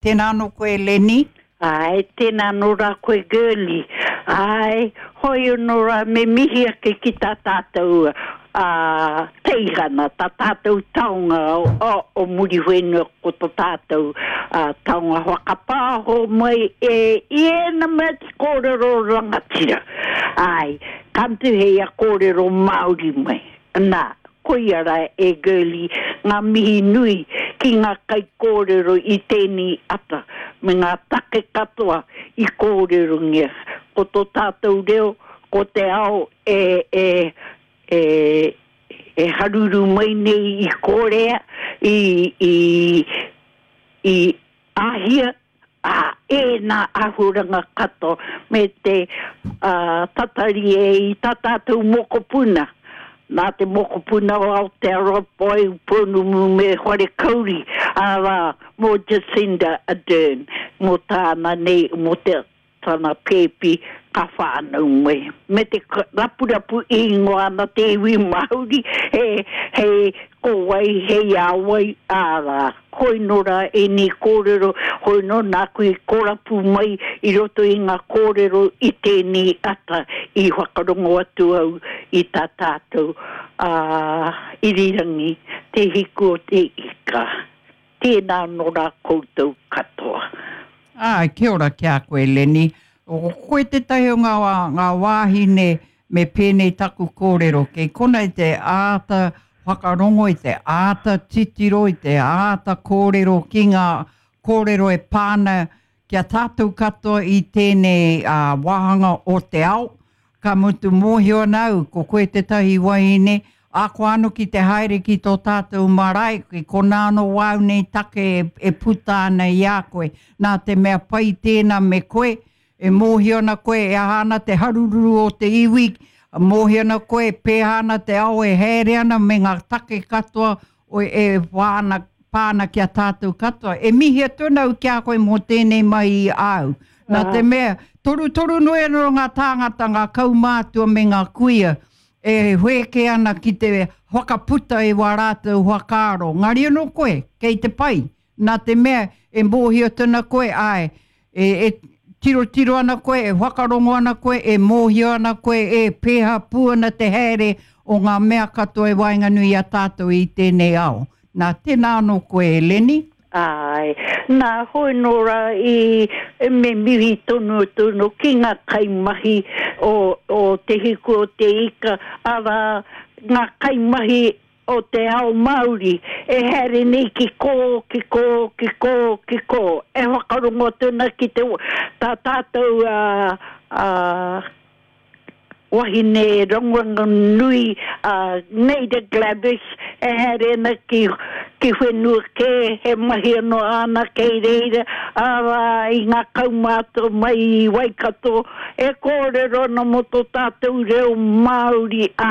Tēnā anō koe Lenny. Āe, tēnā anō rā koe Girlie. Āe, hoi anō rā me mihi ake ki tā tātou teihana, tā tātou taonga o Muriwhenua ko to tātou taonga whakapāho mai e i ēna mea te kōrero rangatira. Āe, ka mutu hei a kōrero Māori mai. Nā, koia rā e Girlie ngā mihi nui ki ngā kaikōrero i tēnei ata me ngā take katoa i kōrerongia. Ko tō tātou reo, ko te ao e, e, e, e haruru mai nei i Kōrea, i, i, i Āhia, ā, ēnā āhuaranga katoa me te tatari e i tā tātou mokopuna, nā te mokopuna o Aotearoa Boy Pounamu me Wharekauri, arā, mō Jacinda Ardern, mō tāna nei, mō te tana pēpi ka whānau mai. Me te rapurapu ingoa ana te iwi Māori, he, hei ko wai, hei a wai, ārā. Hoi nō rā ēnei kōrero, hoi nō nāku i korapu mai i roto i ngā kōrero i tēnei ata i whakarongo atu au i tā tātou, ā, irirangi, Te Hiku o te Ika. Tēnā anō rā koutou katoa. Āe, kia ora ki a koe Lenny. Ko koe tētahi o ngā, ngā wāhine me pēnei taku kōrero, kei kona i te āta whakarongo, i te āta titiro, i te āta kōrero ki ngā kōrero e pā ana ki a tātou katoa i tēnei wāhanga o te ao, Ka mutu mōhio ana au ko koe tētahi wahine, ahakoa anō ki te haere ki tō tātou marae, ki konā anō wāu nei take e puta ana i a koe. Nā te mea pai tēnā me koe, e mōhio ana koe e aha ana te harururu o te iwi, mōhio ana koe e pēhā ana te ao e haere ana me ngā take katoa e wā ana, pā ana ki a tātou katoa. E mihi atu ana au ki a koe mō tēnei mahi i āu. Nā te mea, torutoru noa anō ngā tāngata, ngā kaumātua me ngā kuia, e whēkē ana ki te whakaputa i wā rātou whakaaro. Ngari anō koe, kei te pai. Nā te mea, e mōhio atu ana koe, āe, e, e tirotiro ana koe, e whakarongo ana koe, e mōhio ana koe, e pēhā pū ana te haere o ngā mea katoa e waenganui i a tātou i tēnei ao. Nā, tēnā anō koe e Lenny. Āe, nā, hoi nō rā i me mihi tonu tonu ki ngā kaimahi o, o Te Hiku o Te Ika, arā, ngā kaimahi o te ao Māori e haere nei ki kō, ki kō, ki kō, ki kō, e whakarongo atu ana ki te, tā tātou a, a, wahine rongonui a Naida Glavish e haere ana ki, ki whenua kē, he mahi anō āna kei reira, arā, i ngā kaumātua mai i Waikato, E kōrero ana mō tō tātou reo Māori, ā,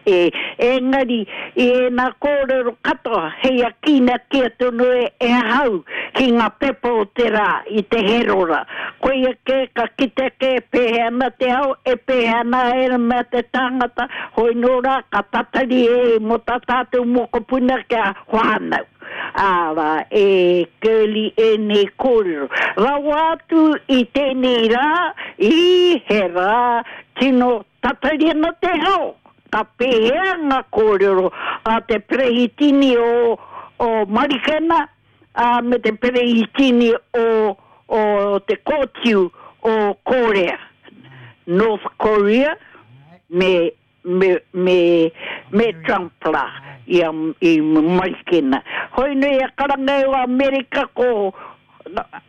e, engari, i ēnā kōrero katoa, hei akīnakia tonu e, e ahau ki ngā pepa o te rā, i te Herora. Koia kē, ka kite kē e pēhea ana te ao, e pēhea ana ērā mea te tāngata, hoi nō rā, ka tatari e mō tā tātou mokopuna kia whānau. Arā, e Girlie ēnei kōrero. Rawa atu i tēnei rā, ī, he rā tino tatari ana te ao. Ka pēhea ngā kōrero a te perehitini o, o Marikena, ā, me te perehitini o, o te kōtiu o Kōrea, North Korea, me me, me, me Trump la i, a, i Marikena. Hoi nei a karanga e o Amerika ko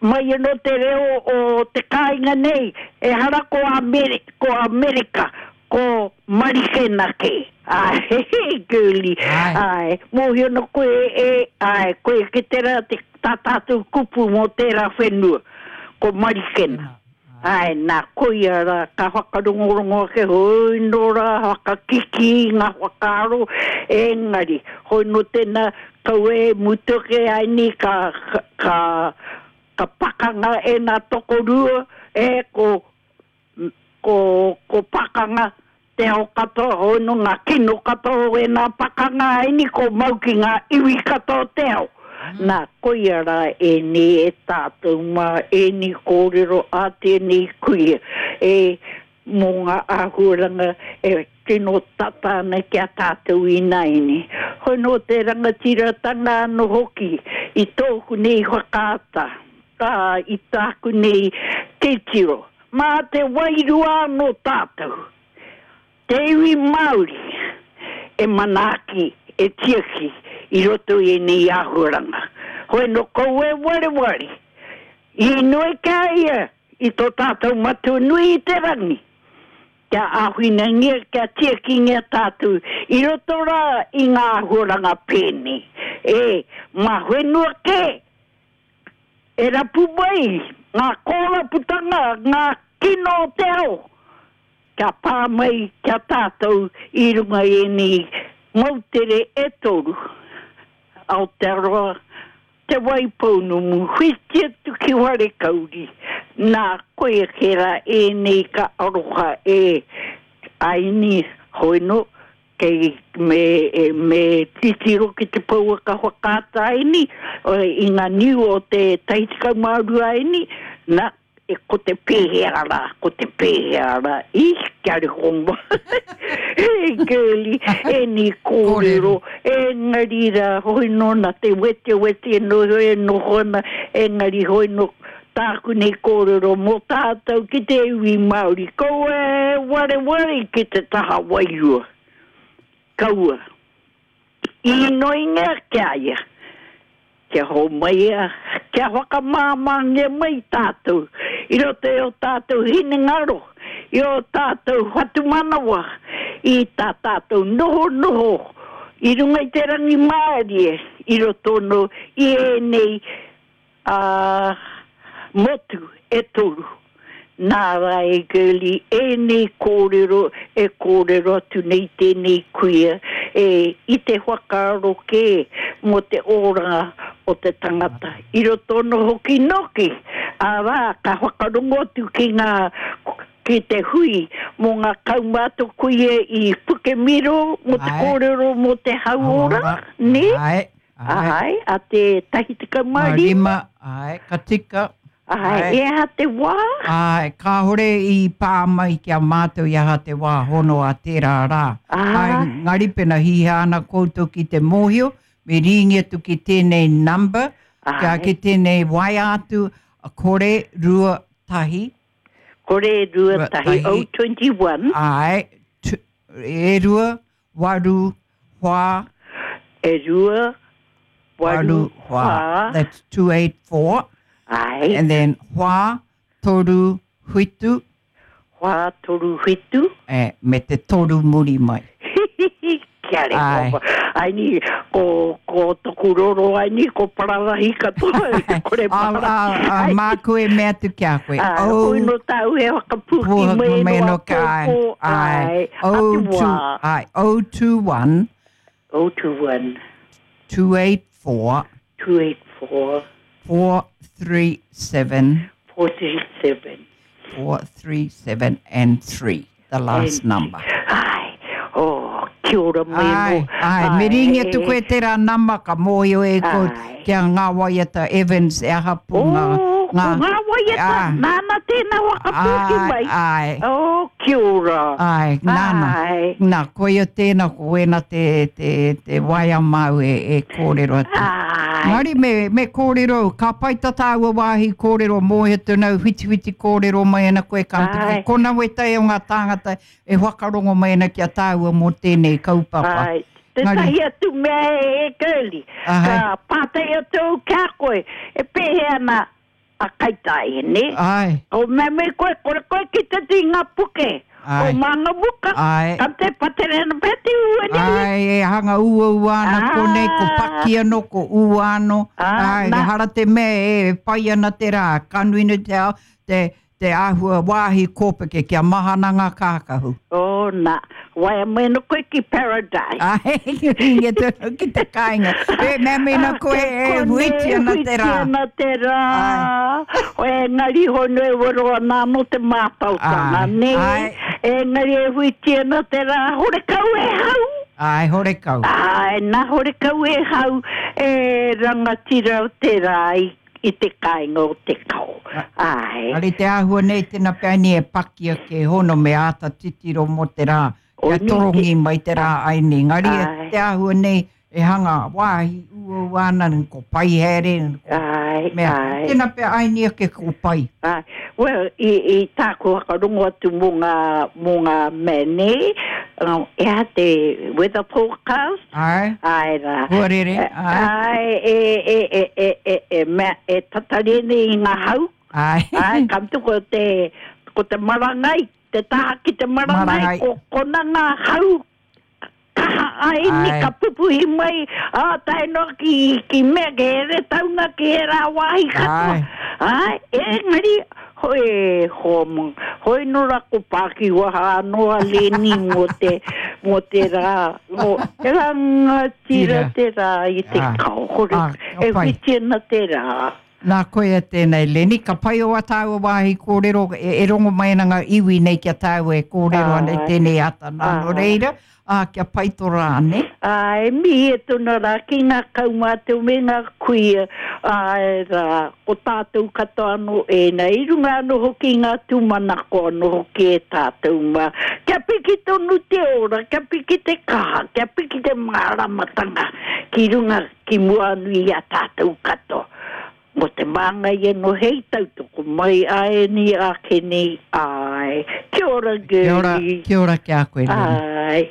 mai ano te reo o te kāinga nei, ehara ko Ameri, ko Amerika, ko Marikena ke. Ae, girlie, ae, mōhio ana koe e, ae, koe ke tera te, tā tātou kupu mō tērā whenua, ko Marikena. Āe, nā, koia rā, ka whakarongorongo ake, hoi nō rā, whakakikī i ngā whakaaro, engari, hoi nō tēnā, kaua e mutu ake ai nei ka, ka, ka pakanga ēnā tokorua, e, ko, ko, ko pakanga te ao katoa, hoi nō ngā kino katoa o ēnā pakanga ai nei, ko mau ki ngā iwi katoa o te ao. Nā, koia rā ēnei e tātou mā ēnei kōrero a tēnei kuia e mō ngā āhuaranga e tino tata ana ki a tātou ināianei. Hoi nō te rangatiratanga anō hoki i tōku nei whakaata, ā, i tāku nei titiro, mā te wairua anō tātou, te iwi Māori, e manaaki, e tiaki i roto i ēnei āhuaranga. Hoi nō kouou e wareware, inoi ki a ia i tō tātou Matua nui i te rangi, kia āwhinangia, kia tiakingia tātou i roto rā i ngā āhuaranga pēnei. E, mā whenua kē e rapu mai ngā kōraputanga, ngā kino o te ao, kia pā mai ki a tātou i runga i ēnei moutere e toru, Aotearoa, Te Waipounamu, whiti atu ki Wharekauri, nā, koia kē rā ēnei ka aroha e Aini, hoi nō, kei me, me titiro ki te pouaka whakaata Aini, i ngā niu o te 12 Aini, nā, E ko te pēhea rā, ko te pēhea rā, i, kia reko mai, e girlie, ēnei kōrero, engari rā, hoi nō nā te wetewete e noho, e noho ana, engari hoi nō tāku nei kōrero mō tātou ki te iwi Māori, kaua e wareware ki te taha wairua, kaua. Īnoingia ki a ia, kia hōmai ia, kia whakamāmāngia mai tātou i roto i ō tātou hinengaro, i ō tātou whatumanawa, i tā tātou nohonoho i runga i te rangimārie i roto anō i ēnei Ā, motu e toru. Nā Rae Gurley ēnei kōrero e kōrero atu nei tēnei kuia e i te whakaaro kē mō te oranga o te tangata i roto anō hoki nōki, arā, ka whakarongo atu ki ngā ki te hui mō ngā kaumātua kuia i Pukemiro mō te kōrero mō te hauora, nē? Āe, a te 15. Rima, āe, ka tika. Āe, e aha te wā? Āe, kāore i pā mai ki a mātou i aha te wā hono a tērā rā. Āe, engari pena hīhā ana koutou ki te mōhio, me rīngi atu ki tēnei number, kia ki tēnei waea atu, kore, rua, tahi. Kore, rua, tahi, 021. Āe, e rua, waru, whā. E rua, waru, whā. That's 284. Aye. And then whā, toru, whitu. Whā, toru, whitu. E, me te toru muri mai. Kia reka. Ai ni, ko, ko toku roro ai ni, ko pararahi katoa. Kore pararahi. A, a, a, māku e mea atu ki a koe. Ai, oh, koi no tāu e whakapūki mai no a pōpō. Ai, o, ai, 021. 021. 284. 284. 437. 437. 437 and 3, the last and, number. Ai, oh, kia ora mai ai, mo. Ai, me ringi atu koe tērā nama ka mōhio e koe kia ngā waiata Evans e aha pū oh, ngā... Ngā, ko ngā waiata, ah, nāna tēnā whakapūki mai. Ai. Oh, kia ora. Ai, nāna. Ai. Nā, koia tēnā, ko wēnā te, te, te waea māu e, e kōrero atu. Ai. Engari me, me kōrero, ka pai tā tāua wāhi kōrero mōhio tonu, whitiwhiti kōrero mai ana koe ka mutu ki kona wētahi o ngā tāngata e whakarongo mai ana ki a tāua mō tēnei kaupapa. Āe, tētahi atu mea e Girlie, ka pātai atu au ki a koe, e pēhea ana a Kaitāia, nē? Āe. Ko mea mai koe, kore koe ki te i ngā puke o Mangamuka, ka te patere ana pea te ua nei. Āe, e hanga uaua ana konei, ko Paki anō, ko Ua anō. Āe, ehara te mea e pai ana te rā, ka nui nei te ao, te, Te āhua wāhi kōpeke kia mahana ngā kākahu. Oh, nā. Waea mai ana koe ki Paradise. Āe, ringa tonu ki te kāinga. E, mea mēnā koe e huiti ana te rā. Huiti ana te rā. Engari hoi noa e wero ana anō te mātautanga, nē? Engari e huiti ana te rā, horekau e hau. Āe, horekau. Āe, nā horekau e hau e rangatira o te rā i, i te kāinga o Te Kao. Āe. Ari te āhua nei tēnā pea ni e paki ake hono me āta titiro mō te rā, kia torongi mai te rā aini. Engari te āhua nei e hanga wāhi uaua ana, ko pai haere, ko Āe, mea. āe. Tēnā pea aini ake ko pai. Āe. Well, i, i tāku whakarongo atu mō ngā, mō ngā mea nei, e aha te weather forecast? Āe. Āe rā. Huarere, āe. Āe, e, e, e, e, e, e, mea, e tatari nei i ngā hau. Āe. Āe, ka mutu ko te, ko te marangai, te taha ki te marangai, Marangai. ko kona ngā hau kaha ai ni Āe. ka pupuhi mai, ā, tae noa ki, ki mea, ki Heretaunga, ki ērā wāhi katoa. Āe. Āe, engari, hoi, hoa mā, hoi nō rā ko Pākiwaha anō a Leni mō te, mō te rā, mō rangatira Tira. te rā i te Āe. kao, hore, Ā, ka e pai. whiti ana te rā. Nā koia tēnei, Leni, ka pai o a tāua wāhi kōrero, e, e rongo mai ana ngā iwi nei ki a tāua e kōrero ana i Āe. tēnei ata nā, nō Āe. reira, ā, kia pai tō rā, nē? Āe, mihi e tona rā ki ngā kaumātua me ngā kuia, āe rā, ko tātou katoa anō ēnā, i runga anō hoki i ngā tūmanako anō hoki e tātou mā. Kia piki tonu te ora, kia piki te kaha, kia piki te māramatanga ki runga, ki mua anō i a tātou katoa. Mo te māngai anō hei tautoko mai āeni ākene, āe. Kia ora Kia ora, Girlie. kia ora ki a koe, Leni. Āe.